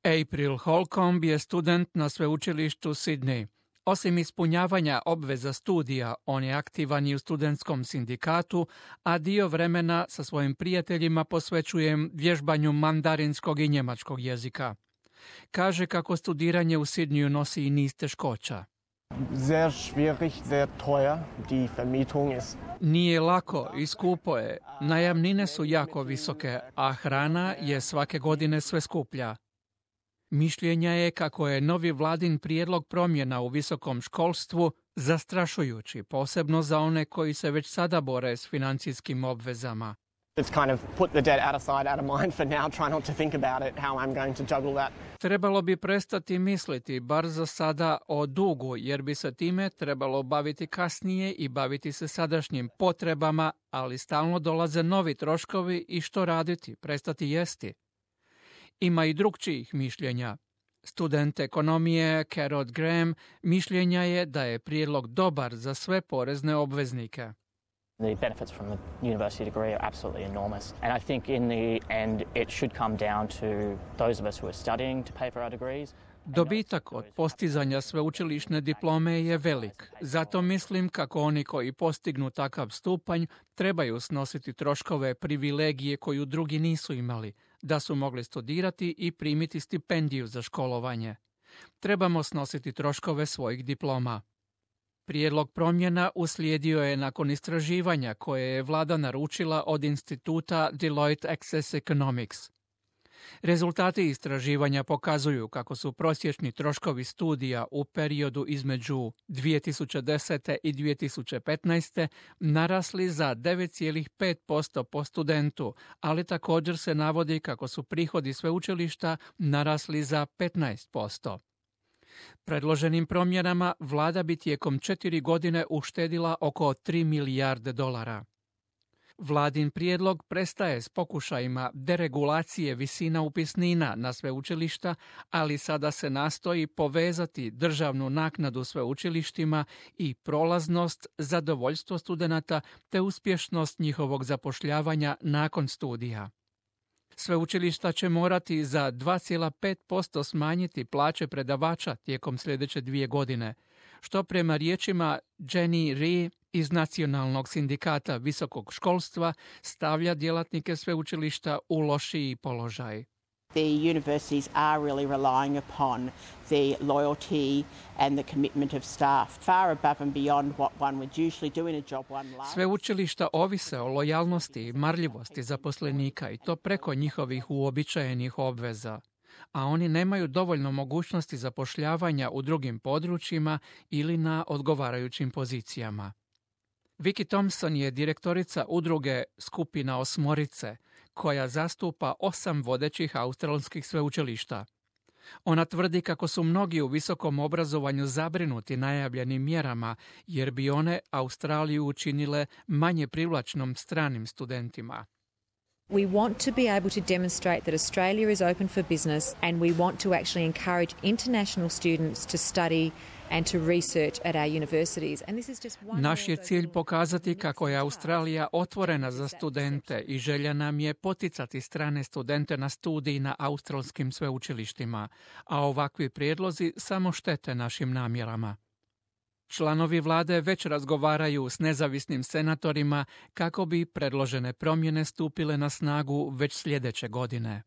April Holcomb je student na sveučilištu Sydney. Osim ispunjavanja obveza studija, on je aktivan i u studentskom sindikatu, a dio vremena sa svojim prijateljima posvećuje vježbanju mandarinskog i njemačkog jezika. Kaže kako studiranje u Sydneyu nosi i niz teškoća. Sehr schwierig, sehr teuer. Die Vermietung ist... Nije lako i skupo je. Najamnine su jako visoke, a hrana je svake godine sve skuplja. Mišljenja je kako je novi vladin prijedlog promjena u visokom školstvu zastrašujući, posebno za one koji se već sada bore s financijskim obvezama. It's kind of put the debt out of sight, out of mind for now, try not to think about it, how I'm going to juggle that. Trebalo bi prestati misliti, bar za sada, o dugu, jer bi se time trebalo baviti kasnije i baviti se sadašnjim potrebama, ali stalno dolaze novi troškovi i što raditi, prestati jesti. Ima i drugčijih mišljenja. Student ekonomije Carrot Graham mišljenja je da je prijedlog dobar za sve porezne obveznike. The benefits from the university degree are absolutely enormous. And I think in the end it should come down to those of us who are studying to pay for our degrees. Dobitak od postizanja sveučilišne diplome je velik. Zato mislim kako oni koji postignu takav stupanj trebaju snositi troškove privilegije koju drugi nisu imali, da su mogli studirati i primiti stipendiju za školovanje. Trebamo snositi troškove svojih diploma. Prijedlog promjena uslijedio je nakon istraživanja koje je vlada naručila od instituta Deloitte Access Economics. Rezultati istraživanja pokazuju kako su prosječni troškovi studija u periodu između 2010. i 2015. narasli za 9,5% po studentu, ali također se navodi kako su prihodi sveučilišta narasli za 15%. Predloženim promjenama vlada bi tijekom 4 godine uštedila oko 3 milijarde dolara. Vladin prijedlog prestaje s pokušajima deregulacije visina upisnina na sveučilišta, ali sada se nastoji povezati državnu naknadu sveučilištima i prolaznost, zadovoljstvo studenata te uspješnost njihovog zapošljavanja nakon studija. Sveučilišta će morati za 2,5% smanjiti plaće predavača tijekom sljedeće 2 godine, što prema riječima Jenny Ree iz Nacionalnog sindikata visokog školstva stavlja djelatnike sveučilišta u lošiji položaj. The universities are really relying upon the loyalty and the commitment of staff far above and beyond what one would usually do in a job one loves. Sveučilišta ovise o lojalnosti i marljivosti zaposlenika i to preko njihovih uobičajenih obveza, a oni nemaju dovoljno mogućnosti zapošljavanja u drugim područjima ili na odgovarajućim pozicijama. Vicky Thompson je direktorica udruge Skupina osmorice, koja zastupa 8 vodećih australskih sveučilišta. Ona tvrdi kako su mnogi u visokom obrazovanju zabrinuti najavljenim mjerama, jer bi one Australiju učinile manje privlačnom stranim studentima. We want to be able to demonstrate that Australia is open for business and we want to actually encourage international students to study and to research at our universities. And this is just one. Naš je cilj pokazati kako je Australija otvorena za studente i želja nam je poticati strane studente na studij na australskim sveučilištima, a ovakvi prijedlozi samo štete našim namjerama. Članovi vlade već razgovaraju s nezavisnim senatorima kako bi predložene promjene stupile na snagu već sljedeće godine.